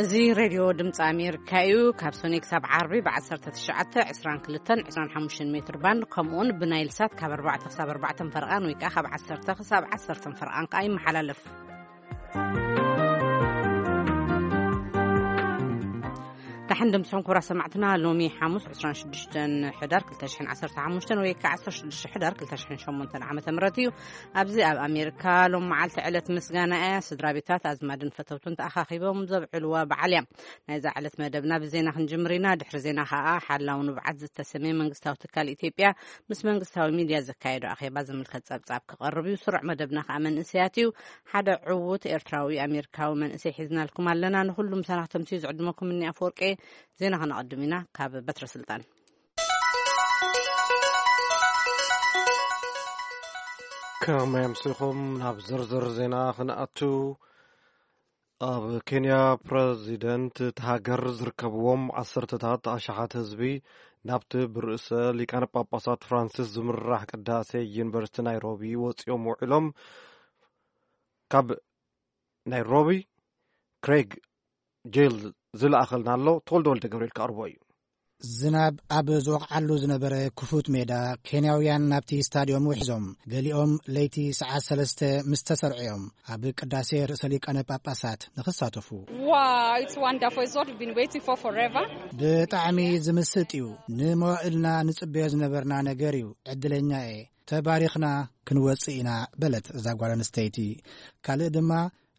እዚ ሬድዮ ድምፂ ኣሜሪካ እዩ። ካብ ሶኔ ክሳብ ዓርቢ ብ1922 25 ሜትር ባንድ፣ ከምኡውን ብናይል ሳት ካብ ኣርባዕተ ክሳብ ኣርባዕተ ፈርቓን ወይ ከዓ ካብ ዓሰርተ ክሳብ ዓሰርተ ፈርቓን ከዓ ይመሓላለፍ። ታሕን ድምፅኹም ክቡራት ሰማዕትና፣ ሎሚ ሓሙስ 26 ሕዳር 2015 ወይ ከዓ 16 ሕዳር 2008 ዓመተ ምህረት እዩ። ኣብዚ ኣብ ኣሜሪካ ሎም መዓልቲ ዕለት ምስጋና እያ። ስድራ ቤታት፣ ኣዝማድን ፈተውትን ተኣኻኺቦም ዘብዕልዋ በዓል እያ። ናይዛ ዕለት መደብና ብዜና ክንጅምር ኢና። ድሕሪ ዜና ከኣ ሓላው ንብዓት ዝተሰመየ መንግስታዊ ትካል ኢትዮጵያ ምስ መንግስታዊ ሚድያ ዘካየዶ ኣኼባ ዝምልከት ጸብጻብ ክቐርብ እዩ። ስሩዕ መደብና ከኣ መንእሰያት እዩ። ሓደ ዕዉት ኤርትራዊ ኣሜሪካዊ መንእሰይ ሒዝናልኩም ኣለና። ንኹሉም ሰናኽተምቲ ዝዕድመኩም እኒ ኣፈወርቄ። ዜና ከነቐድም ኢና። ካብ በትረ ስልጣን። ከመይ ኣምሲኹም? ናብ ዝርዝር ዜና ክንኣቱ፣ ኣብ ኬንያ ፕረዚደንት እቲ ሃገር ዝርከብዎም ዓሰርተታት ኣሽሓት ህዝቢ ናብቲ ብርእሰ ሊቃነ ጳጳሳት ፍራንሲስ ዝምራሕ ቅዳሴ ዩኒቨርሲቲ ናይሮቢ ወፂኦም ውዒሎም። ካብ ናይሮቢ ክሬግ ጄል ዝለኣኸልና ኣሎ። ተወልደ ወልደ ገብርኤል ክኣርቦ እዩ። ዝናብ ኣብ ዝወቕዓሉ ዝነበረ ክፉት ሜዳ፣ ኬንያውያን ናብቲ ስታድዮም ውሒዞም። ገሊኦም ለይቲ ሰዓት ሰለስተ ምስ ተሰርዑ እዮም ኣብ ቅዳሴ ርእሰ ሊቃነ ጳጳሳት ንኽሳተፉ። Wow, it's wonderful. It's what we've been waiting for forever. ብጣዕሚ ዝምስጥ እዩ። ንመዋእልና ንጽበዮ ዝነበርና ነገር እዩ። ዕድለኛ እየ። ተባሪኽና ክንወጽእ ኢና፣ በለት እዛ ጓል ኣንስተይቲ። ካልእ ድማ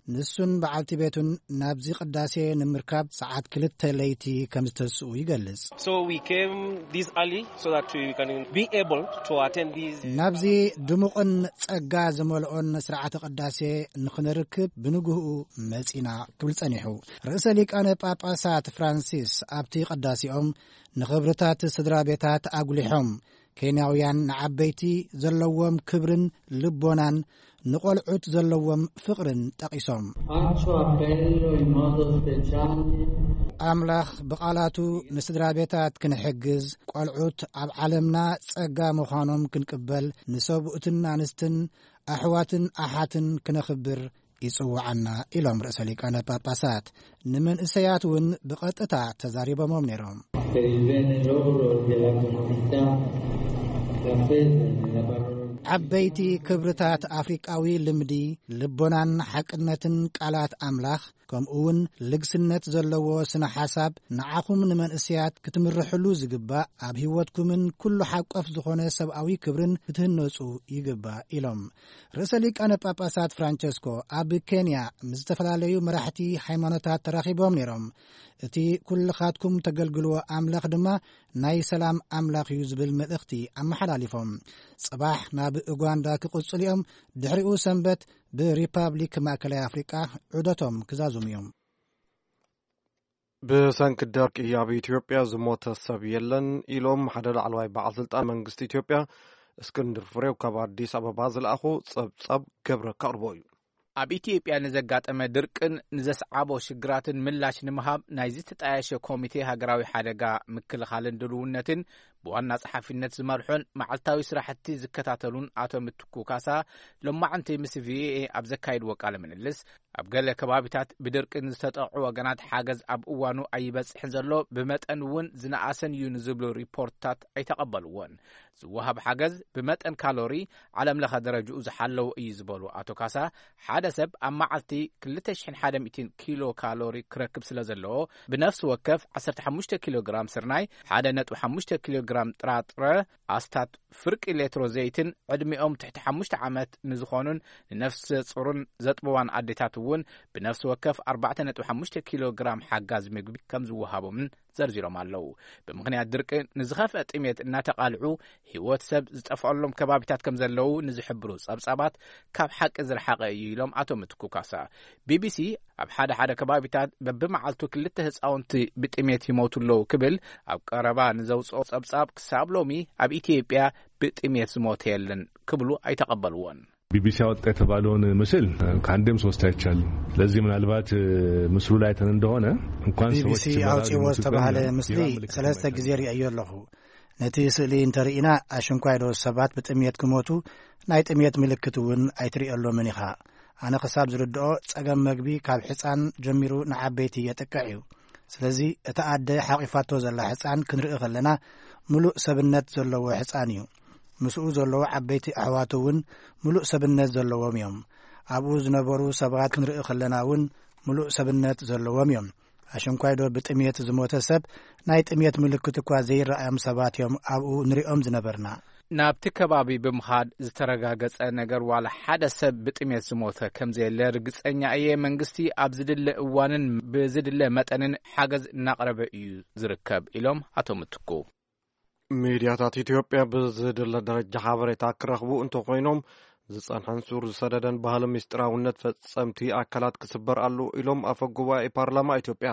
ንሱን በዓልቲ ቤቱን ናብዚ ቅዳሴ ንምርካብ ሰዓት ክልተ ለይቲ ከም ዝተስኡ ይገልጽ። So we came this early so that we can be able to attend these ናብዚ ድሙቕን ጸጋ ዝመልኦን ስርዓተ ቅዳሴ ንኽንርክብ ብንግህኡ መጺና ክብል ጸኒሑ። ርእሰ ሊቃነ ጳጳሳት ፍራንሲስ ኣብቲ ቅዳሴኦም ንኽብርታት ስድራ ቤታት ኣጉሊሖም፣ ኬንያውያን ንዓበይቲ ዘለዎም ክብርን ልቦናን፣ ንቖልዑት ዘለዎም ፍቕርን ጠቒሶም። Faccio appello in modo speciale። ኣምላኽ ብቓላቱ ንስድራ ቤታት ክንሕግዝ፣ ቆልዑት ኣብ ዓለምና ጸጋ ምዃኖም ክንቅበል፣ ንሰብኡትን ኣንስትን ኣሕዋትን ኣሓትን ክነኽብር ይጽውዓና፣ ኢሎም ርእሰ ሊቃነ ጳጳሳት። ንመንእሰያት እውን ብቐጥታ ተዛሪቦሞም ነይሮም። Per il bene loro e della comunità, la fede nella parola ዓበይቲ ክብርታት ኣፍሪቃዊ ልምዲ፣ ልቦናን ሓቅነትን ቃላት ኣምላኽ፣ ከምኡ እውን ልግስነት ዘለዎ ስነ ሓሳብ ንዓኹም ንመንእሰያት ክትምርሕሉ ዝግባእ፣ ኣብ ህይወትኩምን ኩሉ ሓቆፍ ዝኾነ ሰብኣዊ ክብርን ክትህነጹ ይግባእ፣ ኢሎም። ርእሰ ሊቃነ ጳጳሳት ፍራንቸስኮ ኣብ ኬንያ ምስ ዝተፈላለዩ መራሕቲ ሃይማኖታት ተራኺቦም ነይሮም። እቲ ኩልኻትኩም ተገልግልዎ ኣምላኽ ድማ ናይ ሰላም ኣምላኽ እዩ ዝብል መልእኽቲ ኣመሓላሊፎም። ጽባሕ ናብ ኡጋንዳ ክቕጽሉ እዮም። ድሕሪኡ ሰንበት ብሪፓብሊክ ማእከላይ ኣፍሪቃ ዑደቶም ክዛዝሙ እዮም። ብሰንኪ ደርቂ ኣብ ኢትዮጵያ ዝሞተ ሰብ የለን ኢሎም ሓደ ላዕለዋይ በዓል ስልጣን መንግስቲ ኢትዮጵያ። እስክንድር ፍሬው ካብ ኣዲስ ኣበባ ዝለኣኹ ጸብጻብ ገብረ ከቕርቦ እዩ። ኣብ ኢትዮጵያ ንዘጋጠመ ድርቅን ንዘስዓቦ ሽግራትን ምላሽ ንምሃብ ናይ ዝተጣየሸ ኮሚቴ ሃገራዊ ሓደጋ ምክልኻልን ድልውነትን ብዋና ጸሓፊነት ዝመርሖን መዓልታዊ ስራሕቲ ዝከታተሉን ኣቶ ምትኩ ካሳ፣ ሎማዕንቲ ምስ ቪኦኤ ኣብ ዘካየድዎ ቃለ ምልልስ፣ ኣብ ገለ ከባቢታት ብድርቂ ንዝተጠቕዑ ወገናት ሓገዝ ኣብ እዋኑ ኣይበጽሕን ዘሎ፣ ብመጠን እውን ዝነኣሰን እዩ ንዝብሉ ሪፖርትታት ኣይተቐበልዎን። ዝወሃብ ሓገዝ ብመጠን ካሎሪ ዓለም ለኸ ደረጅኡ ዝሓለወ እዩ ዝበሉ ኣቶ ካሳ፣ ሓደ ሰብ ኣብ መዓልቲ 2,100 ኪሎ ካሎሪ ክረክብ ስለ ዘለዎ፣ ብነፍሲ ወከፍ 15 ኪሎ ግራም ስርናይ፣ 1.5 ኪሎ ግራም ጥራጥረ፣ ኣስታት ፍርቂ ሌትሮ ዘይትን ዕድሚኦም ትሕቲ ሓሙሽተ ዓመት ንዝኾኑን ንነፍሰ ጹርን ዘጥበዋን ኣዴታት እውን ብነፍሲ ወከፍ 4.5 ኪሎ ግራም ሓጋዝ ምግቢ ከም ዝወሃቦምን ዘርዚሮም ኣለዉ። ብምኽንያት ድርቂ ንዝኸፍአ ጥሜት እናተቓልዑ ህይወት ሰብ ዝጠፍኣሎም ከባቢታት ከም ዘለዉ ንዝሕብሩ ጸብጻባት ካብ ሓቂ ዝረሓቐ እዩ ኢሎም ኣቶ ምትኩ ካሳ። ቢቢሲ ኣብ ሓደ ሓደ ከባቢታት በብመዓልቱ ክልተ ህጻውንቲ ብጥሜት ይሞቱ ኣለዉ ክብል ኣብ ቀረባ ንዘውጽኦ ጸብጻብ፣ ክሳብ ሎሚ ኣብ ኢትዮጵያ ብጥሜት ዝሞተ የለን ክብሉ ኣይተቐበልዎን። ቢቢሲ አወጣ የተባለውን ምስል ከአንዴም ሶስት አይቻልም። ስለዚህ ምናልባት ምስሉ ላይ አይተን እንደሆነ እንኳን ሰዎች ቢቢሲ በረሃብ አውጪዎ ይሞቱ ዝተባለ ይቀርና፣ ምስሊ የራብ ምልክት ሰለስተ የማይታይ ጊዜ ርእየዮ ኣለኹ። ነቲ ስእሊ እንተርኢና፣ ኣሽንኳይ ዶ ሰባት ብጥሜት ክሞቱ፣ ናይ ጥሜት ምልክት እውን ኣይትርእየሎምን ኢኻ። ኣነ ክሳብ ዝርድኦ፣ ጸገም መግቢ ካብ ሕጻን ጀሚሩ ንዓበይቲ የጥቅዕ እዩ። ስለዚ፣ እታ ኣደ ሓቒፋቶ ዘላ ሕጻን ክንርኢ ከለና፣ ምሉእ ሰብነት ዘለዎ ሕጻን እዩ። ምስኡ ዘለዉ ዓበይቲ ኣሕዋቱ እውን ምሉእ ሰብነት ዘለዎም እዮም። ኣብኡ ዝነበሩ ሰባት ክንርኢ ከለና እውን ምሉእ ሰብነት ዘለዎም እዮም። ኣሽንኳይ ዶ ብጥሜት ዝሞተ ሰብ፣ ናይ ጥሜት ምልክት እኳ ዘይረኣዮም ሰባት እዮም ኣብኡ ንሪኦም ዝነበርና። ናብቲ ከባቢ ብምኻድ ዝተረጋገጸ ነገር፣ ዋላ ሓደ ሰብ ብጥሜት ዝሞተ ከም ዘየለ ርግጸኛ እየ። መንግስቲ ኣብ ዝድለ እዋንን ብዝድለ መጠንን ሓገዝ እናቕረበ እዩ ዝርከብ፣ ኢሎም ኣቶ ምትኩ። ሚድያታት ኢትዮጵያ ብዝድለ ደረጃ ሓበሬታ ክረኽቡ እንተኾይኖም፣ ዝጸንሐን ሱር ዝሰደደን ባህሊ ምስጢራውነት ፈጸምቲ ኣካላት ክስበር ኣሎ ኢሎም ኣፈ ጉባኤ ፓርላማ ኢትዮጵያ።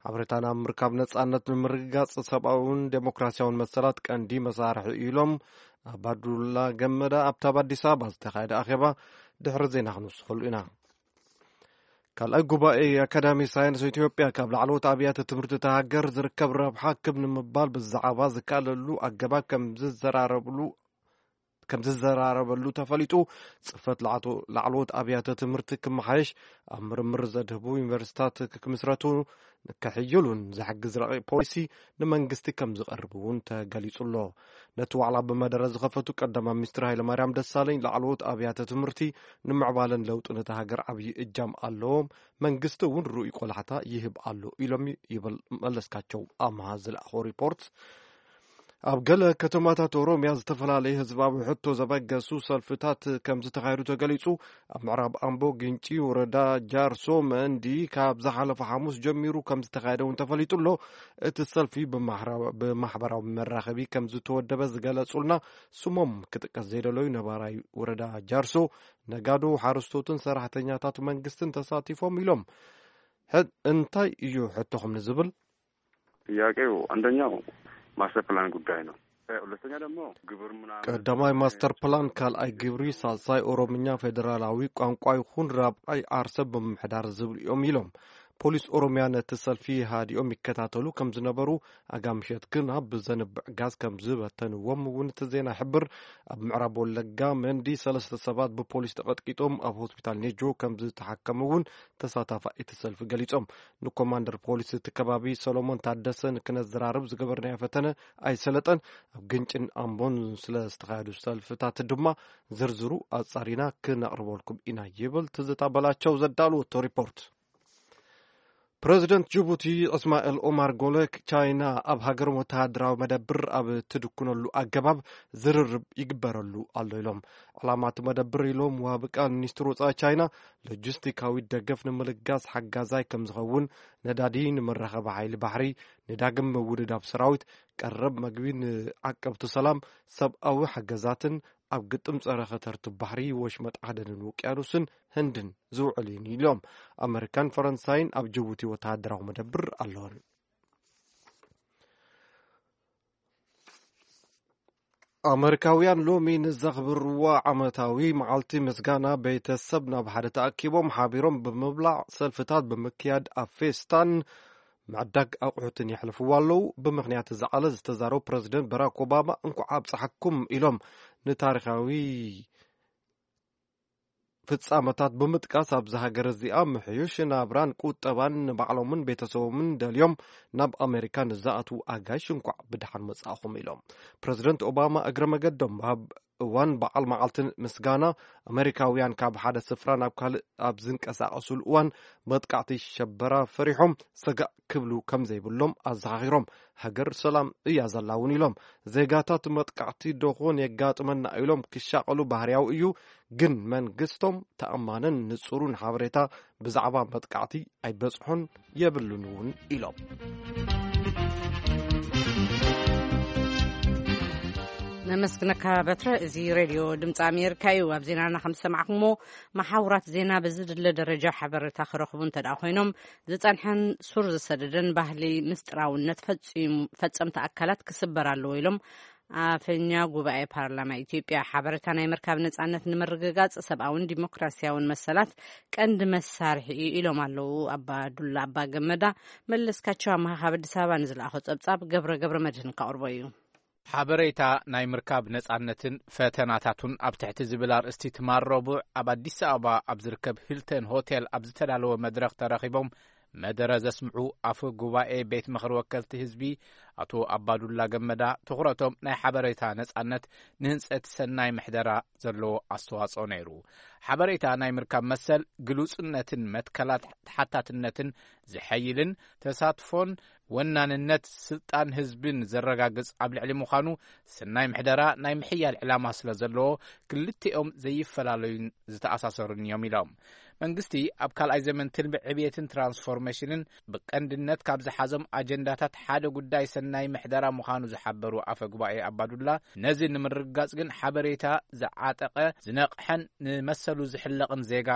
ሓበሬታ ናብ ምርካብ ነጻነት ንምርግጋጽ ሰብኣውን ዴሞክራሲያውን መሰላት ቀንዲ መሳርሒ ኢሎም ኣባዱላ ገመዳ ኣብታ ኣብ ኣዲስ ኣበባ ዝተኻየደ ኣኼባ ድሕሪ ዜና ክንውስኸሉ ኢና። ካልኣይ ጉባኤ ኣካዳሚ ሳይንስ ኢትዮጵያ ካብ ላዕለዎት ኣብያተ ትምህርቲ እታ ሃገር ዝርከብ ረብሓ ክብ ንምባል ብዛዕባ ዝካለሉ ኣገባብ ከም ዝዘራረብሉ ከም ዝዘራረበሉ ተፈሊጡ። ጽፈት ላዕቶ- ላዕለዎት ኣብያተ ትምህርቲ ክመሓየሽ፣ ኣብ ምርምር ዘድህቡ ዩኒቨርሲታት ክምስረቱ፣ ክሕይሉን ዝሕግዝ ረቂቕ ፖሊሲ ንመንግስቲ ከም ዝቐርብ እውን ተገሊጹ ኣሎ። ነቲ ዋዕላ ብመደረ ዝኸፈቱ ቀዳማይ ሚኒስትር ሃይለማርያም ደሳለኝ፣ ላዕለዎት ኣብያተ ትምህርቲ ንምዕባለን ለውጥን እታ ሃገር ዓብዪ እጃም ኣለዎም፣ መንግስቲ እውን ርኡይ ቆላሕታ ይህብ ኣሎ ኢሎም ይብል መለስካቸው ኣምሃ ዝለኣኾ ሪፖርት። ኣብ ገለ ከተማታት ኦሮምያ ዝተፈላለዩ ህዝባዊ ሕቶ ዘበገሱ ሰልፍታት ከም ዝተኻየዱ ተገሊጹ። ኣብ ምዕራብ ኣምቦ ግንጪ ወረዳ ጃርሶ መንዲ ካብ ዝሓለፈ ሓሙስ ጀሚሩ ከም ዝተኻየደ እውን ተፈሊጡ ኣሎ። እቲ ሰልፊ ብማሕራ- ብማሕበራዊ መራኸቢ ከም ዝተወደበ ዝገለጹልና ስሞም ክጥቀስ ዘይደለዩ ነባራይ ወረዳ ጃርሶ፣ ነጋዶ፣ ሓረስቶትን ሰራሕተኛታት መንግስትን ተሳቲፎም ኢሎም። ሕድ እንታይ እዩ ሕቶኹም ንዝብል? ጥያቄው አንደኛው ማስተር ፕላን ጉዳይ ነው። ሁለተኛ ደግሞ ግብር ምናምን ቀዳማይ ማስተር ፕላን፣ ካልኣይ ግብሪ፣ ሳልሳይ ኦሮምኛ ፌዴራላዊ ቋንቋ ይኹን ራብዓይ ዓርሰ ብምምሕዳር ዝብል እዮም ኢሎም። ፖሊስ ኦሮሚያ ነቲ ሰልፊ ሃዲኦም ይከታተሉ ከም ዝነበሩ፣ ኣጋ ምሸት ግን ኣብ ዘንብዕ ጋዝ ከም ዝበተንዎም እውን እቲ ዜና ይሕብር። ኣብ ምዕራብ ወለጋ መንዲ ሰለስተ ሰባት ብፖሊስ ተቐጥቂጦም ኣብ ሆስፒታል ኔጆ ከም ዝተሓከሙ እውን ተሳታፋ እቲ ሰልፊ ገሊጾም። ንኮማንደር ፖሊስ እቲ ከባቢ ሰሎሞን ታደሰ ንክነዘራርብ ዝገበርናዮ ፈተነ ኣይሰለጠን። ኣብ ግንጭን ኣምቦን ስለ ዝተኻየዱ ሰልፍታት ድማ ዝርዝሩ ኣጻሪና ክነቕርበልኩም ኢና ይብል ትዝታ በላቸው ዘዳለወቶ ሪፖርት። ፕረዚደንት ጅቡቲ እስማኤል ኦማር ጎለ፣ ቻይና ኣብ ሃገሮም ወተሃደራዊ መደብር ኣብ ትድኩነሉ ኣገባብ ዝርርብ ይግበረሉ ኣሎ ኢሎም። ዕላማ እቲ መደብር ኢሎም ወሃቢ ቃል ሚኒስትር ወጻኢ ቻይና፣ ሎጂስቲካዊ ደገፍ ንምልጋስ ሓጋዛይ ከም ዝኸውን፣ ነዳዲ፣ ንመራኸቢ ሓይሊ ባሕሪ፣ ንዳግም ምውድዳብ ሰራዊት፣ ቀረብ መግቢ፣ ንዓቀብቲ ሰላም፣ ሰብኣዊ ሓገዛትን ኣብ ግጥም ጸረ ከተርቲ ባሕሪ፣ ወሽመጥ ዓደንን ውቅያኖስን ህንድን ዝውዕል እዩ ኢሎም። ኣመሪካን ፈረንሳይን ኣብ ጅቡቲ ወተሃደራዊ መደብር ኣለወን። ኣመሪካውያን ሎሚ ንዘኽብርዎ ዓመታዊ መዓልቲ ምስጋና ቤተሰብ ናብ ሓደ ተኣኪቦም ሓቢሮም ብምብላዕ፣ ሰልፍታት ብምክያድ፣ ኣብ ፌስታን ምዕዳግ ኣቑሑትን የሕልፍዎ ኣለዉ። ብምኽንያት እዚ ዕለት ዝተዛረቡ ፕረዚደንት በራክ ኦባማ፣ "እንኳዕ ኣብጽሓኩም" ኢሎም ንታሪኻዊ ፍጻመታት ብምጥቃስ፣ ኣብዚ ሃገር እዚኣ ምሕዩሽ ናብራን ቁጠባን ንባዕሎምን ቤተሰቦምን ደልዮም ናብ ኣሜሪካ ንዝኣትዉ ኣጋይሽ እንኳዕ ብደሓን መጻእኹም ኢሎም። ፕረዚደንት ኦባማ እግረ መገዶም ኣብ እዋን በዓል መዓልቲ ምስጋና፣ ኣሜሪካውያን ካብ ሓደ ስፍራ ናብ ካልእ ኣብ ዝንቀሳቐሱሉ እዋን፣ መጥቃዕቲ ሸበራ ፈሪሖም ሰጋእ ክብሉ ከም ዘይብሎም ኣዘኻኺሮም፣ ሃገር ሰላም እያ ዘላ እውን ኢሎም። ዜጋታት መጥቃዕቲ ደኾን የጋጥመና ኢሎም ክሻቐሉ ባህርያዊ እዩ፣ ግን መንግስቶም ተኣማንን ንጹሩን ሓበሬታ ብዛዕባ መጥቃዕቲ ኣይበጽሖን የብሉን እውን ኢሎም። ነመስግነካ በትረ። እዚ ሬድዮ ድምፂ ኣሜሪካ እዩ። ኣብ ዜናና ከም ዝሰማዕኩሞ፣ መሓውራት ዜና ብዝድለ ደረጃ ሓበሬታ ክረኽቡ እንተ ደኣ ኮይኖም፣ ዝጸንሐን ሱር ዝሰደደን ባህሊ ምስጢራውነት ፈጺሙ- ፈጸምቲ ኣካላት ክስበር ኣለዎ ኢሎም ኣፈኛ ጉባኤ ፓርላማ ኢትዮጵያ። ሓበሬታ ናይ ምርካብ ነጻነት ንምርግጋጽ ሰብኣውን ዲሞክራሲያውን መሰላት ቀንዲ መሳርሒ እዩ ኢሎም ኣለዉ ኣባ ዱላ ኣባ ገመዳ። መለስካቸው ኣመሃ ካብ ኣዲስ ኣበባ ንዝለኣኾ ጸብጻብ ገብረ ገብረ መድህን ከቕርቦ እዩ። ሓበሬታ ናይ ምርካብ ነጻነትን ፈተናታቱን ኣብ ትሕቲ ዝብል ኣርእስቲ ትማል ረቡዕ ኣብ ኣዲስ ኣበባ ኣብ ዝርከብ ሂልተን ሆቴል ኣብ ዝተዳለወ መድረኽ ተረኺቦም መደረ ዘስምዑ ኣፈ ጉባኤ ቤት ምኽሪ ወከልቲ ህዝቢ ኣቶ ኣባዱላ ገመዳ፣ ትኹረቶም ናይ ሓበሬታ ነጻነት ንህንጸት ሰናይ ምሕደራ ዘለዎ ኣስተዋጽኦ ነይሩ። ሓበሬታ ናይ ምርካብ መሰል ግሉጽነትን መትከላት ተሓታትነትን ዝሐይልን ተሳትፎን ወናንነት ስልጣን ህዝብን ዘረጋግጽ ኣብ ልዕሊ ምዃኑ፣ ሰናይ ምሕደራ ናይ ምሕያል ዕላማ ስለ ዘለዎ ክልቲኦም ዘይፈላለዩን ዝተኣሳሰሩን እዮም ኢሎም። መንግስቲ ኣብ ካልኣይ ዘመን ትልሚ ዕብየትን ትራንስፎርሜሽንን ብቀንድነት ካብ ዝሓዞም ኣጀንዳታት ሓደ ጉዳይ ሰናይ ምሕደራ ምዃኑ ዝሓበሩ ኣፈ ጉባኤ ኣባዱላ፣ ነዚ ንምርግጋጽ ግን ሓበሬታ ዝዓጠቐ ዝነቕሐን ንመሰሉ ዝሕለቕን ዜጋ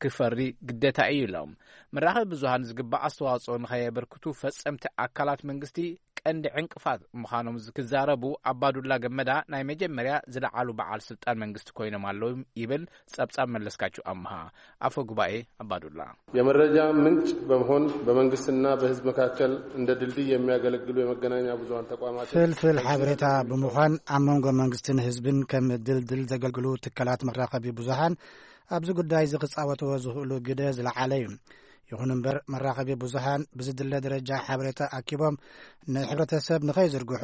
ክፈሪ ግደታ እዩ ኢሎም። መራኸቢ ብዙሃን ዝግባእ ኣስተዋጽኦ ንኸየበርክቱ ፈጸምቲ ኣካላት መንግስቲ ቀንዲ ዕንቅፋት ምዃኖም ዝክዛረቡ ኣባዱላ ገመዳ፣ ናይ መጀመርያ ዝለዓሉ በዓል ስልጣን መንግስቲ ኮይኖም ኣለዉ ይብል ጸብጻብ መለስካቸው ኣምሃ፣ ኣፈ ጉባኤ ኣባዱላ። የመረጃ ምንጭ በመሆን በመንግስትና በህዝብ መካከል እንደ ድልድይ የሚያገለግሉ የመገናኛ ብዙሃን ተቋማት ፍልፍል ሓበሬታ ብምዃን ኣብ መንጎ መንግስትን ህዝብን ከም ድልድል ዘገልግሉ ትካላት መራኸቢ ብዙሃን ኣብዚ ጉዳይ እዚ ክጻወትዎ ዝኽእሉ ግደ ዝለዓለ እዩ። ይኹን እምበር፣ መራኸቢ ብዙሃን ብዝድለ ደረጃ ሓበሬታ ኣኪቦም ንሕብረተሰብ ንኸይዝርግሑ፣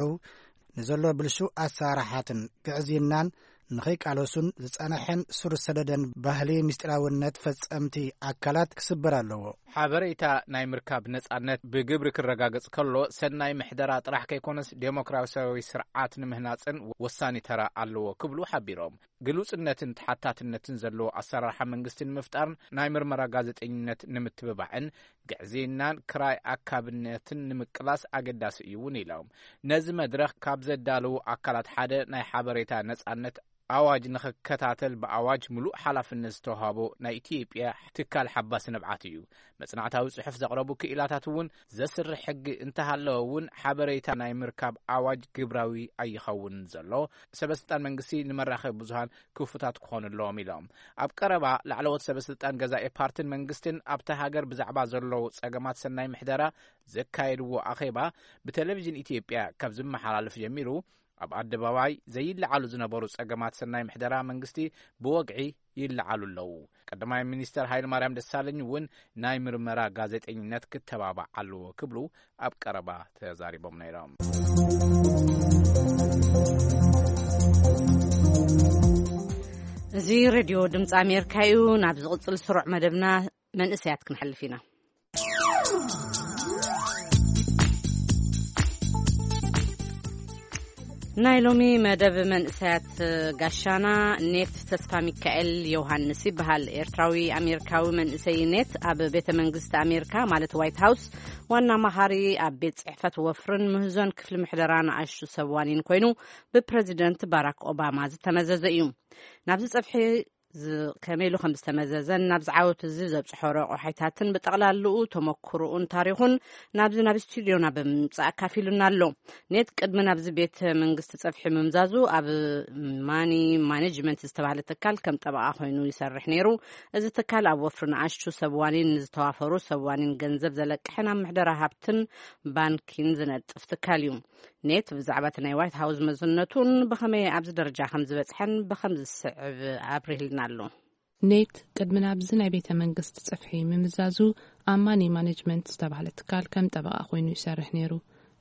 ንዘሎ ብልሹ ኣሰራርሓትን ግዕዝይናን ንኸይቃለሱን ዝጸንሐን ስር ዝሰደደን ባህሊ ምስጢራውነት ፈጸምቲ ኣካላት ክስበር ኣለዎ። ሓበሬታ ናይ ምርካብ ነጻነት ብግብሪ ክረጋገጽ ከሎ፣ ሰናይ ምሕደራ ጥራሕ ከይኮነስ፣ ዴሞክራሲያዊ ስርዓት ንምህናጽን ወሳኒ ተራ ኣለዎ ክብሉ ሓቢሮም። ግሉጽነትን ተሓታትነትን ዘለዎ ኣሰራርሓ መንግስቲ ንምፍጣርን ናይ ምርመራ ጋዜጠኝነት ንምትብባዕን ግዕዝይናን ክራይ ኣካብነትን ንምቅላስ ኣገዳሲ እዩ እውን ኢሎም። ነዚ መድረኽ ካብ ዘዳለዉ ኣካላት ሓደ ናይ ሓበሬታ ነጻነት ኣዋጅ ንኽከታተል ብኣዋጅ ምሉእ ሓላፍነት ዝተዋሃቦ ናይ ኢትዮጵያ ትካል ሓባሲ ንብዓት እዩ። መጽናዕታዊ ጽሑፍ ዘቕረቡ ክኢላታት እውን ዘስርሕ ሕጊ እንተሃለወ እውን ሓበሬታ ናይ ምርካብ ኣዋጅ ግብራዊ ኣይኸውን ዘሎ። ሰበስልጣን መንግስቲ ንመራኸቢ ብዙሃን ክፉታት ክኾኑ ኣለዎም ኢሎም። ኣብ ቀረባ ላዕለዎት ሰበስልጣን ገዛኢ ፓርትን መንግስትን ኣብታ ሃገር ብዛዕባ ዘለዉ ጸገማት ሰናይ ምሕደራ ዘካየድዎ ኣኼባ ብቴሌቪዥን ኢትዮጵያ ካብ ዝመሓላለፍ ጀሚሩ፣ ኣብ ኣደባባይ ዘይለዓሉ ዝነበሩ ጸገማት ሰናይ ምሕደራ መንግስቲ ብወግዒ ይለዓሉ ኣለዉ። ቀዳማይ ሚኒስተር ሃይለ ማርያም ደሳለኝ እውን ናይ ምርመራ ጋዜጠኝነት ክተባባዕ ኣለዎ ክብሉ ኣብ ቀረባ ተዛሪቦም ነይሮም። እዚ ሬድዮ ድምፂ ኣሜሪካ እዩ። ናብ ዝቕፅል ስሩዕ መደብና መንእሰያት ክንሓልፍ ኢና። ናይ ሎሚ መደብ መንእሰያት ጋሻና ኔት ተስፋ ሚካኤል ዮሃንስ ይበሃል። ኤርትራዊ ኣሜሪካዊ መንእሰይ ኔት ኣብ ቤተ መንግስቲ ኣሜሪካ ማለት ዋይት ሃውስ ዋና መሃሪ ኣብ ቤት ጽሕፈት ወፍርን ምህዞን ክፍሊ ምሕደራ ንኣሽቱ ሰብ ዋኒን ኮይኑ ብፕረዚደንት ባራክ ኦባማ ዝተመዘዘ እዩ። ናብዚ ጸፍሒ ዝ-፣ ከመይ ኢሉ ከም ዝተመዘዘን ናብ ዝዓወት እዚ ዘብጽሖ ረቑሒታትን ብጠቕላልኡ ተመክሮኡን ታሪኹን ናብዚ ናብ ስቱድዮና ብምምጻእ ኣካፊሉና ኣሎ። ኔት ቅድሚ ናብዚ ቤት መንግስቲ ጸፍሒ ምምዛዙ ኣብ ማኒ ማኔጅመንት ዝተባህለ ትካል ከም ጠበቓ ኮይኑ ይሰርሕ ነይሩ። እዚ ትካል ኣብ ወፍሪ ንኣሽቱ ሰብ ዋኒን ንዝተዋፈሩ ሰብ ዋኒን ገንዘብ ዘለቅሕን ኣብ ምሕደራ ሃብትን ባንኪን ዝነጥፍ ትካል እዩ። ኔት ብዛዕባ እቲ ናይ ዋይት ሃውስ መዝነቱን ብኸመይ ኣብዚ ደረጃ ከም ዝበጽሐን ብኸም ዝስዕብ ኣብሪህልና ኣሎ። ኔት ቅድሚ ናብዚ ናይ ቤተ መንግስቲ ጽፍሒ ምምዛዙ ኣብ ማኒ ማኔጅመንት ዝተባህለ ትካል ከም ጠበቓ ኮይኑ ይሰርሕ ነይሩ።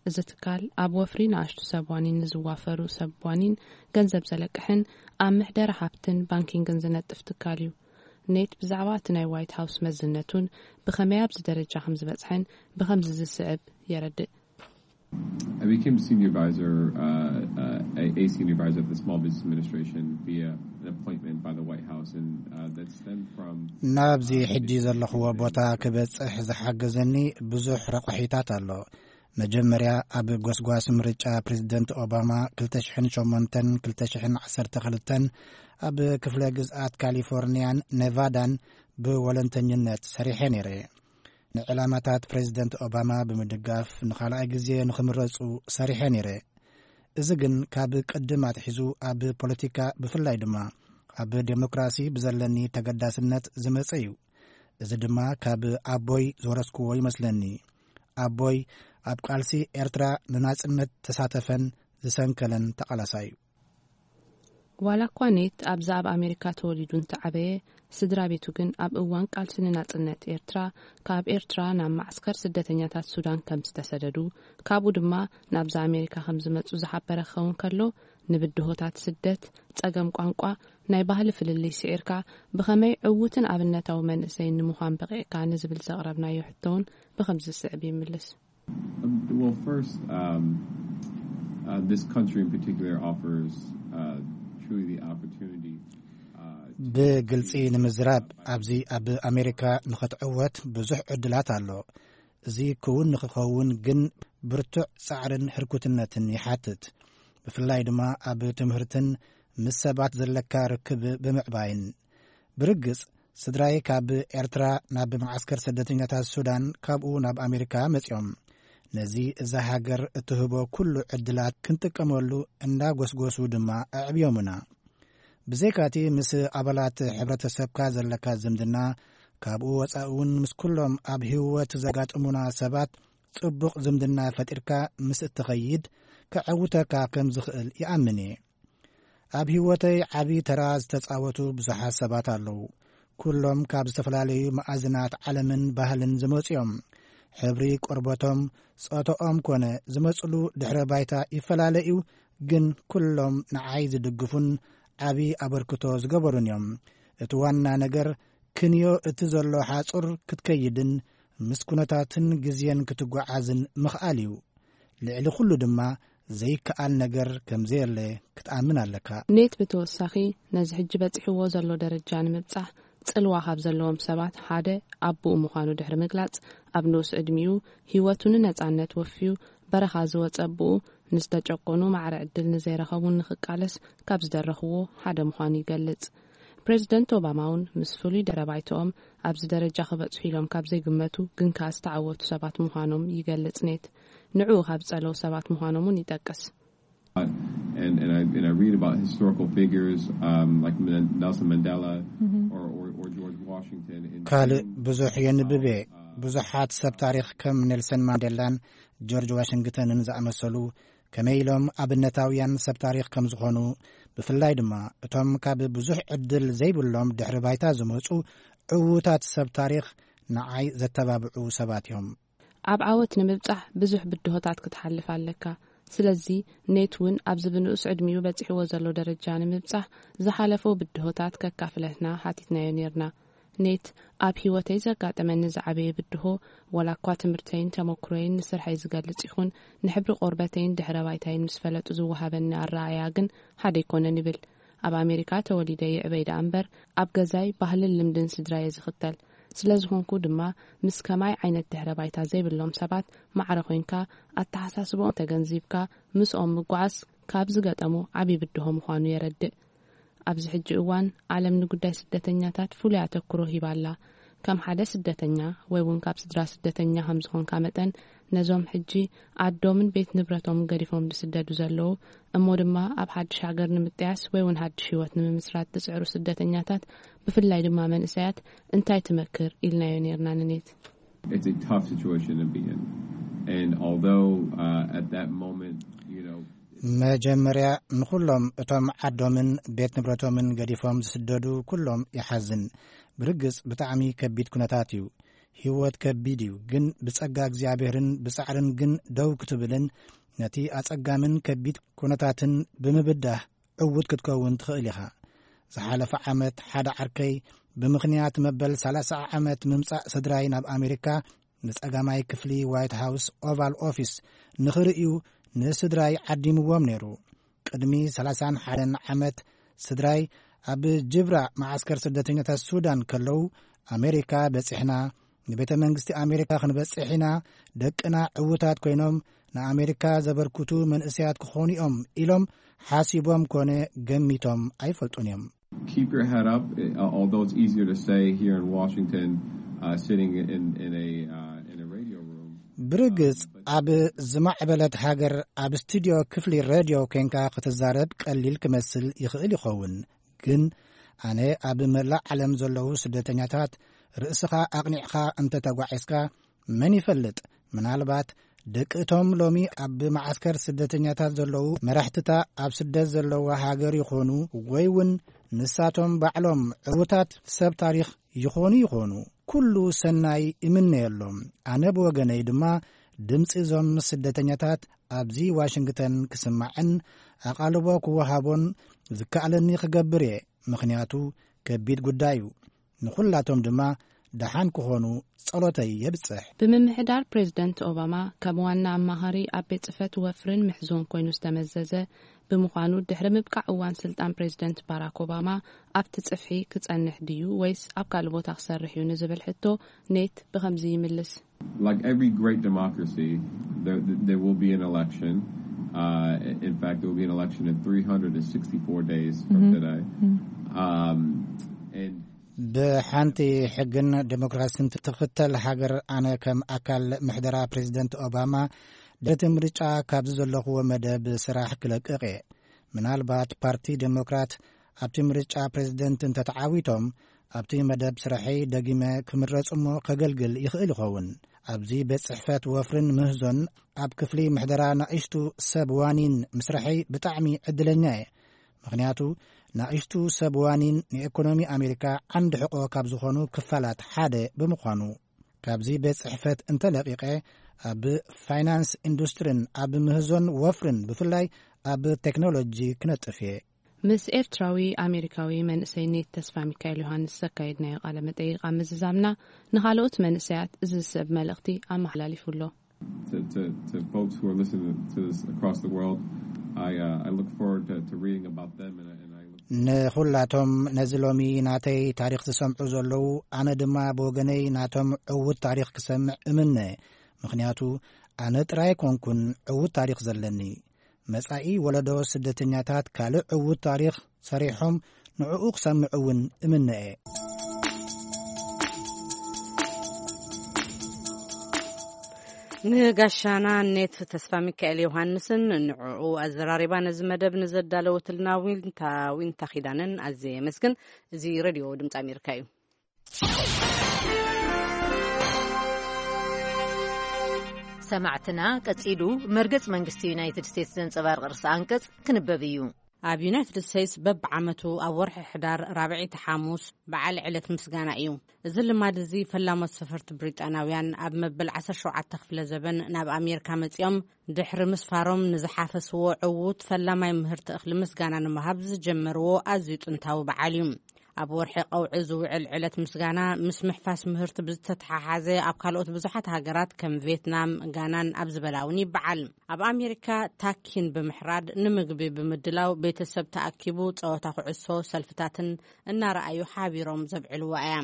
እዚ ትካል ኣብ ወፍሪ ንኣሽቱ ሰብ ዋኒን ንዝዋፈሩ ሰብ ዋኒን ገንዘብ ዘለቅሕን ኣብ ምሕደራ ሃብትን ባንኪንግን ዝነጥፍ ትካል እዩ። ኔት ብዛዕባ እቲ ናይ ዋይት ሃውስ መዝነቱን ብኸመይ ኣብዚ ደረጃ ከም ዝበጽሐን ብኸምዚ ዝስዕብ የረድእ። I became senior advisor, uh, uh, a, a senior advisor of the Small Business Administration via an appointment by the White House, and uh, that stemmed from ናብዚ ሕጂ ዘለኽዎ ቦታ ክበጽሕ ዝሓገዘኒ ብዙሕ ረቑሒታት ኣሎ። መጀመርያ ኣብ ጎስጓስ ምርጫ ፕሬዝደንት ኦባማ ክልተ ሽሕን ሸሞንተን ክልተ ሽሕን ዓሰርተ ክልተን ኣብ ክፍለ ግዝኣት ካሊፎርኒያን ኔቫዳን ብወለንተኝነት ሰሪሐ ነይረ። ንዕላማታት ፕሬዝደንት ኦባማ ብምድጋፍ ንኻልኣይ ግዜ ንኽምረጹ ሰሪሐ ነይረ። እዚ ግን ካብ ቅድም ኣትሒዙ ኣብ ፖለቲካ ብፍላይ ድማ ኣብ ዴሞክራሲ ብዘለኒ ተገዳስነት ዝመጸ እዩ። እዚ ድማ ካብ ኣቦይ ዝወረስክዎ ይመስለኒ። ኣቦይ ኣብ ቃልሲ ኤርትራ ንናጽነት ተሳተፈን ዝሰንከለን ተቓላሳይ እዩ። ዋላ እኳ ኔት ኣብዚ ኣብ ኣሜሪካ ተወሊዱ እንተዓበየ፣ ስድራ ቤቱ ግን ኣብ እዋን ቃልሲ ንናጽነት ኤርትራ ካብ ኤርትራ ናብ ማዕስከር ስደተኛታት ሱዳን ከም ዝተሰደዱ፣ ካብኡ ድማ ናብዛ ኣሜሪካ ከም ዝመጹ ዝሓበረ ክኸውን ከሎ፣ ንብድሆታት ስደት፣ ጸገም ቋንቋ፣ ናይ ባህሊ ፍልልይ ስዒርካ ብኸመይ ዕዉትን ኣብነታዊ መንእሰይን ንምዃን በቒዕካ ንዝብል ዘቕረብናዮ ሕቶ እውን ብኸምዚ ዝስዕብ ይምልስ። Well, first, um, uh, this country in particular offers uh, truly the opportunity. Uh, to ብግልጺ ንምዝራብ፣ ኣብዚ ኣብ ኣሜሪካ ንኽትዕወት ብዙሕ ዕድላት ኣሎ። እዚ ክውን ንኽኸውን ግን ብርቱዕ ጻዕርን ህርኩትነትን ይሓትት። ብፍላይ ድማ ኣብ ትምህርትን ምስ ሰባት ዘለካ ርክብ ብምዕባይን። ብርግጽ፣ ስድራይ ካብ ኤርትራ ናብ መዓስከር ስደተኛታት ሱዳን፣ ካብኡ ናብ ኣሜሪካ መጺኦም። ነዚ እዛ ሃገር እትህቦ ኩሉ ዕድላት ክንጥቀመሉ እንዳጎስጎሱ ድማ ኣዕብዮምና። ብዘይካቲ ምስ ኣባላት ሕብረተሰብካ ዘለካ ዝምድና፣ ካብኡ ወጻኢ እውን ምስ ኩሎም ኣብ ህይወት ዘጋጥሙና ሰባት ጽቡቕ ዝምድና ፈጢርካ ምስ እትኸይድ፣ ከዐውተካ ከም ዝኽእል ይኣምን እየ። ኣብ ህይወተይ ዓቢ ተራ ዝተጻወቱ ብዙሓት ሰባት ኣለዉ። ኩሎም ካብ ዝተፈላለዩ መኣዝናት ዓለምን ባህልን ዝመጹ እዮም። ሕብሪ ቆርበቶም፣ ጾታኦም ኮነ ዝመጽሉ ድሕረ ባይታ ይፈላለ እዩ፣ ግን ኩሎም ንዓይ ዝድግፉን ዓቢ ኣበርክቶ ዝገበሩን እዮም። እቲ ዋና ነገር ክንዮ እቲ ዘሎ ሓጹር ክትከይድን ምስ ኩነታትን ግዜን ክትጓዓዝን ምኽኣል እዩ። ልዕሊ ኩሉ ድማ ዘይከኣል ነገር ከም ዘየለ ክትኣምን ኣለካ። ኔት ብተወሳኺ ነዚ ሕጂ በጺሕዎ ዘሎ ደረጃ ንምብጻሕ ጽልዋ ካብ ዘለዎም ሰባት ሓደ ኣቦኡ ምዃኑ ድሕሪ ምግላጽ፣ ኣብ ንኡስ ዕድሚኡ ህይወቱ ንነጻነት ወፍዩ በረኻ ዝወጸ ኣቦኡ ንዝተጨቆኑ ማዕረ ዕድል ንዘይረኸቡን ንኽቃለስ ካብ ዝደረኽዎ ሓደ ምዃኑ ይገልጽ። ፕሬዚደንት ኦባማ እውን ምስ ፍሉይ ድሕረ ባይትኦም ኣብዚ ደረጃ ክበጽሑ ኢሎም ካብ ዘይግመቱ ግን ከኣ ዝተዓወቱ ሰባት ምዃኖም ይገልጽ። ኔት ንዕኡ ካብ ዝጸለዉ ሰባት ምዃኖም እውን ይጠቅስ። And, and, I, and I read about historical figures um, like Men- Nelson Mandela or, or, or George Washington. And ካልእ ብዙሕ የንብብ እየ። ብዙሓት ሰብ ታሪኽ ከም ኔልሰን ማንዴላን ጆርጅ ዋሽንግተንን ዝኣመሰሉ ከመይ ኢሎም ኣብነታውያን ሰብ ታሪኽ ከም ዝኾኑ፣ ብፍላይ ድማ እቶም ካብ ብዙሕ ዕድል ዘይብሎም ድሕሪ ባይታ ዝመጹ ዕዉታት ሰብ ታሪኽ ንዓይ ዘተባብዑ ሰባት እዮም። ኣብ ዓወት ንምብጻሕ ብዙሕ ብድሆታት ክትሓልፍ ኣለካ። ስለዚ ኔት እውን ኣብዚ ብንኡስ ዕድሚኡ በጺሕዎ ዘሎ ደረጃ ንምብጻሕ ዝሓለፎ ብድሆታት ከካፍለትና ሓቲትናዮ ኔርና። ኔት ኣብ ህይወተይ ዘጋጠመኒ ዝዓበየ ብድሆ፣ ዋላ እኳ ትምህርተይን ተመኩሮይን ንስርሐይ ዝገልጽ ይኹን፣ ንሕብሪ ቆርበተይን ድሕረ ባይታይን ምስ ፈለጡ ዝወሃበኒ ኣረኣእያ ግን ሓደ ኣይኮነን ይብል። ኣብ ኣሜሪካ ተወሊደ ይዕበይ ደኣ እምበር፣ ኣብ ገዛይ ባህልን ልምድን ስድራየ ዝኽተል ስለ ዝኾንኩ ድማ፣ ምስ ከማይ ዓይነት ድሕረ ባይታ ዘይብሎም ሰባት ማዕረ ኮይንካ፣ ኣተሓሳስብኦም ተገንዚብካ ምስኦም ምጓዓዝ ካብ ዝገጠሙ ዓቢ ብድሆ ምዃኑ የረድእ። ኣብዚ ሕጂ እዋን ዓለም ንጉዳይ ስደተኛታት ፍሉይ ኣተኩሮ ሂባ ኣላ። ከም ሓደ ስደተኛ ወይ እውን ካብ ስድራ ስደተኛ ከም ዝኾንካ መጠን፣ ነዞም ሕጂ ዓዶምን ቤት ንብረቶምን ገዲፎም ዝስደዱ ዘለዉ፣ እሞ ድማ ኣብ ሓድሽ ሃገር ንምጥያስ ወይ እውን ሓድሽ ህይወት ንምምስራት ዝጽዕሩ ስደተኛታት፣ ብፍላይ ድማ መንእሰያት፣ እንታይ ትመክር ኢልናዮ ኔርና ንኔት። It's a tough situation to be in. And although uh, at that moment, you know, መጀመርያ ንኹሎም እቶም ዓዶምን ቤት ንብረቶምን ገዲፎም ዝስደዱ ኩሎም ይሓዝን። ብርግጽ ብጣዕሚ ከቢድ ኩነታት እዩ። ህይወት ከቢድ እዩ፣ ግን ብጸጋ እግዚኣብሔርን ብጻዕርን ግን ደው ክትብልን ነቲ ኣጸጋምን ከቢድ ኩነታትን ብምብዳህ ዕዉት ክትከውን ትኽእል ኢኻ። ዝሓለፈ ዓመት ሓደ ዓርከይ ብምኽንያት መበል ሰላሳ ዓመት ምምጻእ ስድራይ ናብ ኣሜሪካ ንጸጋማይ ክፍሊ ዋይት ሃውስ ኦቫል ኦፊስ ንኽርእዩ ንስድራይ ዓዲምዎም ነይሩ። ቅድሚ ሰላሳን ሓደን ዓመት ስድራይ ኣብ ጅብራ መዓስከር ስደተኛታት ሱዳን ከለዉ፣ ኣሜሪካ በጺሕና፣ ንቤተ መንግስቲ ኣሜሪካ ክንበጽሕ ኢና፣ ደቅና ዕዉታት ኮይኖም ንኣሜሪካ ዘበርክቱ መንእሰያት ክኾኑ እዮም ኢሎም ሓሲቦም ኮነ ገሚቶም ኣይፈልጡን እዮም። Keep your head up. Uh, although it's easier to say here in Washington, uh, sitting in, in a uh, in a radio room. ብርግጽ ኣብ ዝማዕበለት ሃገር ኣብ ስቱድዮ ክፍሊ ሬድዮ ኮንካ ክትዛረብ ቀሊል ክመስል ይኽእል ይኸውን፣ ግን ኣነ ኣብ መላእ ዓለም ዘለዉ ስደተኛታት ርእስኻ ኣቕኒዕኻ እንተተጓዒዝካ፣ መን ይፈልጥ፣ ምናልባት ደቂ እቶም ሎሚ ኣብ መዓስከር ስደተኛታት ዘለዉ መራሕትታ ኣብ ስደት ዘለዋ ሃገር ይኾኑ ወይ እውን ንሳቶም ባዕሎም ዕዉታት ሰብ ታሪኽ ይኾኑ ይኾኑ። ኩሉ ሰናይ እምነየሎም። ኣነ ብወገነይ ድማ ድምፂ እዞም ስደተኛታት ኣብዚ ዋሽንግተን ክስማዕን ኣቓልቦ ክወሃቦን ዝከኣለኒ ክገብር እየ። ምኽንያቱ ከቢድ ጉዳይ እዩ። ንኹላቶም ድማ ደሓን ክኾኑ ጸሎተይ የብጽሕ። ብምምሕዳር ፕሬዝደንት ኦባማ ከም ዋና ኣማኻሪ ኣብ ቤት ጽሕፈት ወፍርን ምሕዞን ኮይኑ ዝተመዘዘ ብምዃኑ፣ ድሕሪ ምብቃዕ እዋን ስልጣን ፕሬዝደንት ባራክ ኦባማ ኣብቲ ጽፍሒ ክጸንሕ ድዩ ወይስ ኣብ ካልእ ቦታ ክሰርሕ እዩ ንዝብል ሕቶ፣ ኔት ብኸምዚ ይምልስ። Like every great democracy, there, there will be an election. Uh, in fact, there will be an election in three hundred sixty-four days from today. Um, and ብሓንቲ ሕግን ዴሞክራሲን ትኽተል ሃገር፣ ኣነ ከም ኣካል ምሕደራ ፕሬዝደንት ኦባማ፣ ድሕሪ ምርጫ ካብዚ ዘለኹዎ መደብ ስራሕ ክለቅቕ እየ። ምናልባት ፓርቲ ዴሞክራት ኣብቲ ምርጫ ፕሬዝደንት እንተተዓዊቶም፣ ኣብቲ መደብ ስራሐይ ደጊመ ክምረጽ እሞ ከገልግል ይኽእል ይኸውን። ኣብዚ ቤት ጽሕፈት ወፍርን ምህዞን ኣብ ክፍሊ ምሕደራ ናእሽቱ ሰብ ዋኒን ምስራሐይ ብጣዕሚ ዕድለኛ እየ። ምኽንያቱ ናእሽቱ ሰብ ዋኒን ንኤኮኖሚ ኣሜሪካ ዓንዲ ሕቖ ካብ ዝኾኑ ክፋላት ሓደ ብምዃኑ። ካብዚ ቤት ጽሕፈት እንተለቒቐ፣ ኣብ ፋይናንስ ኢንዱስትሪን ኣብ ምህዞን ወፍርን ብፍላይ ኣብ ቴክኖሎጂ ክነጥፍ እየ። ምስ ኤርትራዊ ኣሜሪካዊ መንእሰይ ኔት ተስፋ ሚካኤል ዮሃንስ ዘካየድናዮ ቃለ መጠይቕ ኣብ ምዝዛምና፣ ንኻልኦት መንእሰያት እዚ ዝስዕብ መልእኽቲ ኣመሓላሊፉ ኣሎ። To, to, to folks who are listening to this across the world, I, uh, I look forward to, to reading about them, and, I- and I look ንኹላቶም ነዚ ሎሚ ናተይ ታሪኽ ዝሰምዑ ዘለዉ፣ ኣነ ድማ ብወገነይ ናቶም ዕዉት ታሪኽ ክሰምዕ እምነ። ምኽንያቱ ኣነ ጥራይ ኣይኮንኩን ዕዉት ታሪኽ ዘለኒ። መጻኢ ወለዶ ስደተኛታት ካልእ ዕዉት ታሪኽ ሰሪሖም ንዕኡ ክሰምዕ እውን እምነ እየ። ንጋሻና ኔት ተስፋ ሚካኤል ዮሃንስን ንዕኡ ኣዘራሪባ ነዚ መደብ ንዘዳለወትልና ዊንታ፣ ዊንታ ኪዳነን ኣዝየ የመስግን። እዚ ሬድዮ ድምፂ ኣሜሪካ እዩ። ሰማዕትና፣ ቀጺሉ መርገጽ መንግስቲ ዩናይትድ ስቴትስ ዘንጸባርቕ ርእሰ ኣንቀጽ ክንበብ እዩ። ኣብ ዩናይትድ ስቴትስ በብዓመቱ ኣብ ወርሒ ሕዳር ራብዐይቲ ሓሙስ በዓል ዕለት ምስጋና እዩ። እዚ ልማድ እዚ ፈላሞት ሰፈርቲ ብሪጣናውያን ኣብ መበል ዓሰርተ ሸውዓተ ክፍለ ዘበን ናብ ኣሜሪካ መጺኦም ድሕሪ ምስፋሮም ንዝሓፈስዎ ዕዉት ፈላማይ ምህርቲ እኽሊ ምስጋና ንምሃብ ዝጀመርዎ ኣዝዩ ጥንታዊ በዓል እዩ። ኣብ ወርሒ ቀውዒ ዝውዕል ዕለት ምስጋና ምስ ምሕፋስ ምህርቲ ብዝተተሓሓዘ ኣብ ካልኦት ብዙሓት ሃገራት ከም ቪየትናም፣ ጋናን ኣብ ዝበላ እውን ይበዓል። ኣብ ኣሜሪካ ታኪን ብምሕራድ፣ ንምግቢ ብምድላው፣ ቤተሰብ ተኣኪቡ ጸወታ ኩዕሶ፣ ሰልፍታትን እናረኣዩ ሓቢሮም ዘብዕልዋ እያ።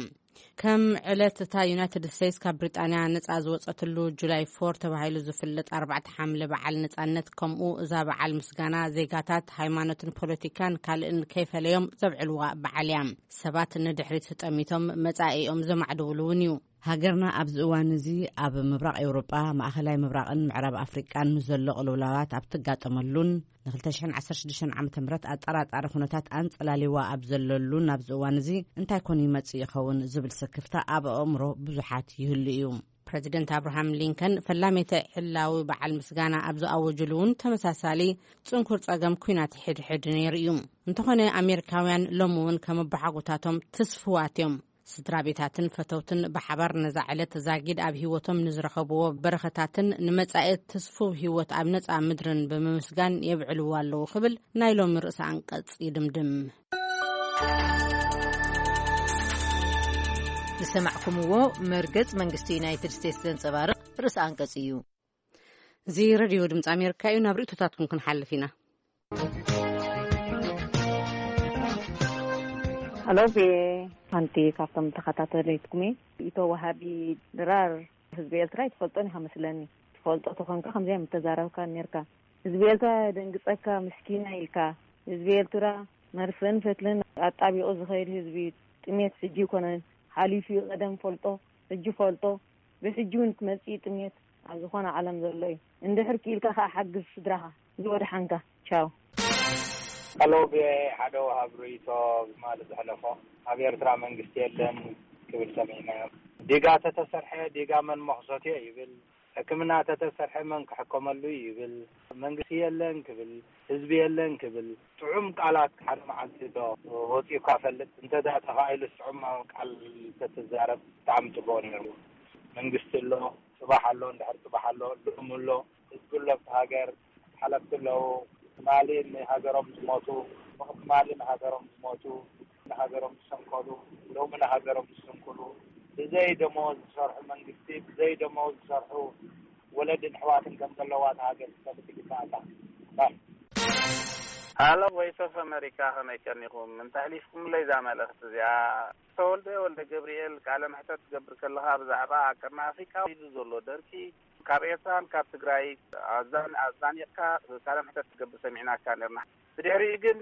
ከም ዕለት እታ ዩናይትድ ስቴትስ ካብ ብሪጣንያ ነጻ ዝወጸትሉ ጁላይ ፎር ተባሂሉ ዝፍለጥ ኣርባዕተ ሓምለ በዓል ነጻነት፣ ከምኡ እዛ በዓል ምስጋና ዜጋታት ሃይማኖትን ፖለቲካን ካልእን ከይፈለዮም ዘብዕልዋ በዓል እያ። ሰባት ንድሕሪት ጠሚቶም መጻኢኦም ዘማዕድውሉ እውን እዩ። ሃገርና ኣብዚ እዋን እዚ ኣብ ምብራቕ ኤውሮጳ፣ ማእኸላይ ምብራቕን ምዕራብ ኣፍሪቃን ንዘሎ ቅልውላዋት ኣብ ትጋጠመሉን ንክልተ ሽሕን ዓሰርተ ሽዱሽተን ዓመተ ምህረት ኣጠራጣሪ ኩነታት ኣንጸላሊዋ ኣብ ዘለሉን ኣብዚ እዋን እዚ እንታይ ኮን ይመጽእ ይኸውን ዝብል ስክፍታ ኣብ ኣእምሮ ብዙሓት ይህሉ እዩ። ፕረዚደንት ኣብርሃም ሊንከን ፈላሜተ ዕላዊ በዓል ምስጋና ኣብ ዝኣወጅሉ እውን ተመሳሳሊ ጽንኩር ጸገም ኲናት ሕድሕድ ነይሩ እዩ። እንተኾነ ኣሜሪካውያን ሎሚ እውን ከም ኣቦሓጎታቶም ትስፍዋት እዮም። ስድራ ቤታትን ፈተውትን ብሓባር ነዛ ዕለት ዛጊድ ኣብ ህይወቶም ንዝረኸብዎ በረኸታትን ንመጻኢ ትስፉው ህይወት ኣብ ነጻ ምድርን ብምምስጋን የብዕልዎ ኣለዉ ክብል ናይ ሎሚ ርእሰ ኣንቀጽ ይድምድም። ዝሰማዕኩምዎ መርገጽ መንግስቲ ዩናይትድ ስቴትስ ዘንጸባርቕ ርእሰ ኣንቀጽ እዩ። እዚ ሬድዮ ድምፂ ኣሜሪካ እዩ። ናብ ርእቶታትኩም ክንሓልፍ ኢና። ኣሎ፣ ቤ ሓንቲ ካብቶም ተኸታተለትኩም እየ። ኢቶ ወሃቢ ድራር ህዝቢ ኤርትራ ኣይትፈልጦን ኢኻ መስለኒ። ትፈልጦ ተኾንካ ከምዚኣ ምተዛረብካ ነርካ። ህዝቢ ኤርትራ ደንግጸካ ምስኪና ኢልካ። ህዝቢ ኤርትራ መርፍእን ፈትልን ኣጣቢቑ ዝኸይድ ህዝቢ፣ ጥሜት ሕጂ ይኮነን ሓሊፉ እዩ። ቀደም ፈልጦ፣ ሕጂ ፈልጦ፣ ብሕጂ እውን ክመጽእ እዩ ጥሜት ኣብ ዝኾነ ዓለም ዘሎ እዩ። እንድሕር ክኢልካ ከኣ ሓግዝ ስድራኻ። ዝወድሓንካ። ቻው። ሄሎ፣ ቪኦኤ ሓደ ወሃብ ርእይቶ ብማሊ ዘሕለፎ፣ ኣብ ኤርትራ መንግስቲ የለን ክብል ሰሚዕናዮ። ዲጋ ተተሰርሐ ዲጋ መን መኽሰትዮ ይብል። ሕክምና ተተሰርሐ መን ክሕከመሉ ይብል፣ መንግስቲ የለን ክብል፣ ህዝቢ የለን ክብል፣ ጥዑም ቃላት ሓደ መዓልቲ ዶ ወፂኡካ ፈልጥ? እንተ ዳ ተኻኢሉ ጥዑም ቃል ተትዛረብ ብጣዕሚ ፅቡቅ ነይሩ። መንግስቲ ኣሎ፣ ፅባሕ ኣሎ፣ እንድሕር ፅባሕ ኣሎ፣ ልኡም ኣሎ፣ ህዝቢ ኣሎ፣ ኣብቲ ሃገር ሓለፍቲ ኣለዉ። ትማሊ ንሃገሮም ዝሞቱ፣ ብትማሊ ንሃገሮም ዝሞቱ፣ ንሃገሮም ዝሰንከሉ፣ ሎሚ ንሃገሮም ዝስንክሉ፣ ብዘይ ደሞዝ ዝሰርሑ መንግስቲ፣ ብዘይ ደሞዝ ዝሰርሑ ወለድን ኣሕዋትን ከም ዘለዋ እታ ሃገር ክትፈልጥ ይግባኣካ። ባይ። ሃሎ ቮይስ ኦፍ ኣሜሪካ፣ ከመይ ቀኒኹም? እንታይ ኣሊፍኩምለይ እዛ መልእኽቲ እዚኣ? ተወልደ ወልደ ገብርኤል፣ ቃለ መሕተት ትገብር ከለኻ ብዛዕባ ኣብ ቀርኒ ኣፍሪቃ ኢሉ ዘሎ ደርቂ ካብ ኤርትራን ካብ ትግራይ ኣዛን ኣዛኒቕካ ቃለ መሕተት ትገብር ሰሚዕናካ ነርና። ብድሕሪኡ ግን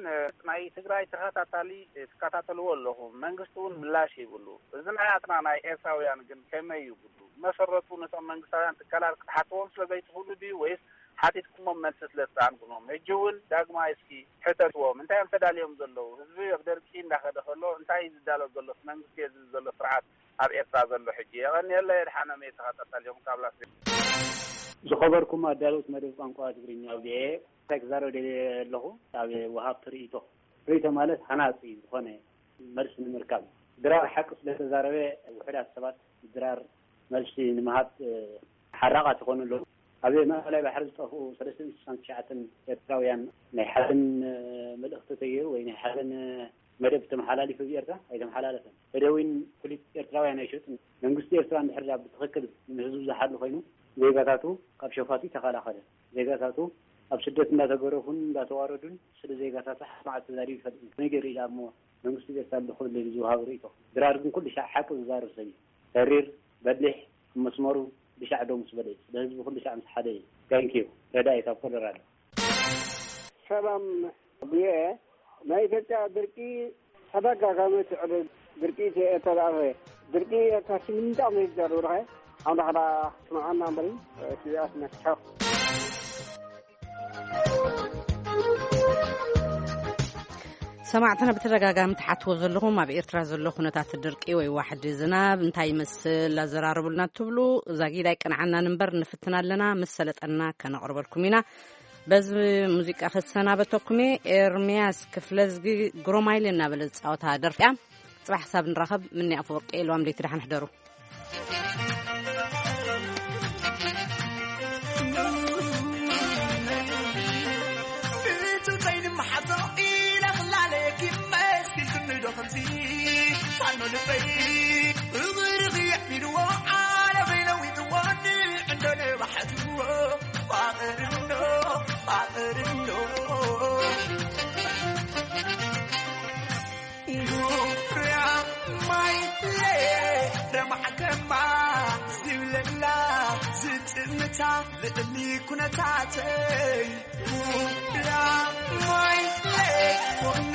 ናይ ትግራይ ተኸታታሊ ትከታተልዎ ኣለኹም፣ መንግስቲ እውን ምላሽ ይብሉ። እዚ ናይ ኣትና ናይ ኤርትራውያን ግን ከመይ ይብሉ? መሰረቱ ነቶም መንግስታውያን ትካላት ክትሓትዎም ስለ ዘይትኽእሉ ድዩ ወይስ ሓቲትኩሞም መልሲ ስለ ትሰኣንኩሞም? ሕጂ እውን ዳግማይ እስኪ ሕተትዎም፣ እንታይ እዮም ተዳልዮም ዘለዉ? ህዝቢ ኣብ ደርቂ እንዳኸደ ከሎ እንታይ እዩ ዝዳሎ ዘሎ? መንግስቲ እዩ ዝብል ዘሎ ስርዓት ኣብ ኤርትራ ዘሎ ሕጂ። የቐንየለይ። የድሓኖም እየ ተኸታታሊኹም ካብ ላስ ቬጋስ። ዝኸበርኩም ኣዳለውቲ መደብ ቋንቋ ትግርኛ ቪኦኤ፣ እንታይ ክዛረብ ደልየ ኣለኹ? ኣብ ወሃብቲ ርእይቶ፣ ርእይቶ ማለት ሃናፂ ዝኾነ መልሲ ንምርካብ። ድራር ሓቂ ስለተዛረበ ውሑዳት ሰባት ድራር መልሲ ንምሃብ ሓራቓት ይኾኑ ኣለዉ። ኣብ ማእከላይ ባሕሪ ዝጠፍኡ ሰለስተ ሚእቲ ስሳን ትሽዓተን ኤርትራውያን ናይ ሓዘን መልእኽቲ ተገይሩ ወይ ናይ ሓዘን መደብ ተመሓላሊፉ ብኤርትራ ኣይተመሓላለፈን። ተደዊን ኩሊት ኤርትራውያን ኣይሸጡን። መንግስቲ ኤርትራ እንድሕር ዳ ብትኽክል ንህዝቡ ዝሓሉ ኮይኑ ዜጋታቱ ካብ ሸፋቱ ይተኸላኸለ። ዜጋታቱ ኣብ ስደት እንዳተገረፉን እንዳተዋረዱን ስለ ዜጋታቱ ሓደ መዓልቲ ተዛሪቡ ይፈልጥ እዩ። ከመይ ገይሩ ኢላ እሞ መንግስቲ ኤርትራ ኣሎ ክብል ኢሉ ዝወሃብ ርእይቶ። ድራር ግን ኩሉ ሻዕ ሓቂ ዝዛረብ ሰብ እዩ። ተሪር፣ በሊሕ፣ ኣብ መስመሩ ብሻዕ ደው ምስ በለ እዩ። ስለ ህዝቢ ኩሉ ሻዕ ምስ ሓደ እዩ። Thank you። ረዳኢ ካብ ኮሎራዶ። ሰላም ብየ ናይ ኢትዮጵያ ድርቂ ተደጋጋሚ ትዕል ድርቂ ተላፈ ድርቂ ተስምንጣ መይዛር ወርኸ ኣምላኽና ስምዓና እምበሪ ስቢኣት ነክሐ። ሰማዕትና ብተደጋጋሚ ትሓትዎ ዘለኹም ኣብ ኤርትራ ዘሎ ኩነታት ድርቂ ወይ ዋሕዲ ዝናብ እንታይ ይመስል ኣዘራርቡልና ትብሉ። ዛጊድ ኣይቀንዓናን እምበር ንፍትና ኣለና፣ ምስ ሰለጠና ከነቕርበልኩም ኢና። በዚ ሙዚቃ ክሰናበተኩም እየ። ኤርምያስ ክፍለዝጊ ግሮማይሊ እናበለ ዝፃወታ ደርፊያ። ፅባሕ ክሳብ ንራኸብ ምኒ ኣፈወርቂ ኢልዋም ለይቲ ደሓን ሕደሩ። ብትፀይ ንምሓቶ ኢለ ክላለየኪ መሲልክኒ ዶ ከምዚ ፋኖ ልበይ እግርኺ የዕቢድዎ ዓለመይ ለዊጥዎ ንዕንዶ ነባሕትዎ ፋቕርኖ ፋቕርኖ ዙርያ ማይ ለየ ረማዕከማ ዝብለላ ዝጥምታ ልእሊ ኩነታተይ ዙርያ ማይ ለየ ኮኒ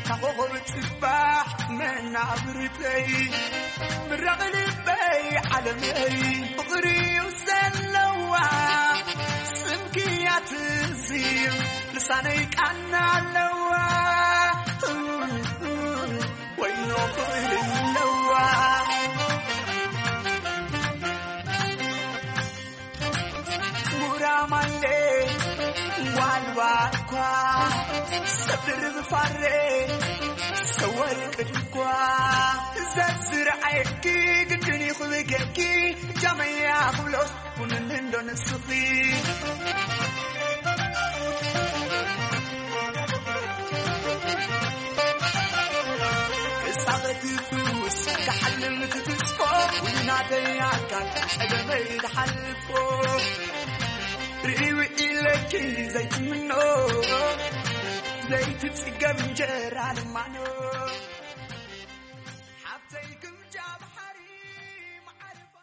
ካኾኾብ ጽባሕ መናብርተይ ምራቕ ልበይ ዓለመይ ፍቕሪ እዩ ዘለዋ ስምክያ ትዝዩ ልሳነይ ቃና ኣለዋ ወይኖ ፍቕሪ ኣለዋ ጉራማይሌ ዋልዋ እኳ ሰብ ድርብ ፋሬ ሰወርቅ ድኳ ዘዝረኣየኪ ግድን ይኽብገኪ ጃመያ ክብሎስ ኩንኒ እንዶ ንስኺ ክሳቐቲ ፍውስ ክሓልም ክትስፎ ውናተይ ኣካል ጸገመይ ዝሓልፎ ርእዩ ኢለኪ ዘይትምኖ ዘይትጽገብ እንጀራ ልማኖ ሓብተይ ግምጃ ባሕሪ መዓርፎ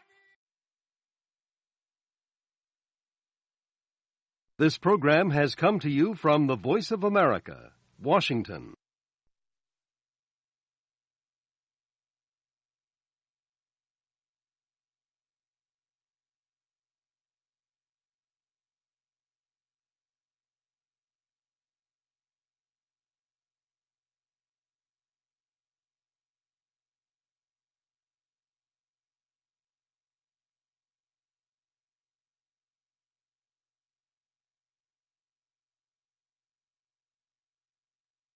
This program has come to you from the Voice of America, Washington.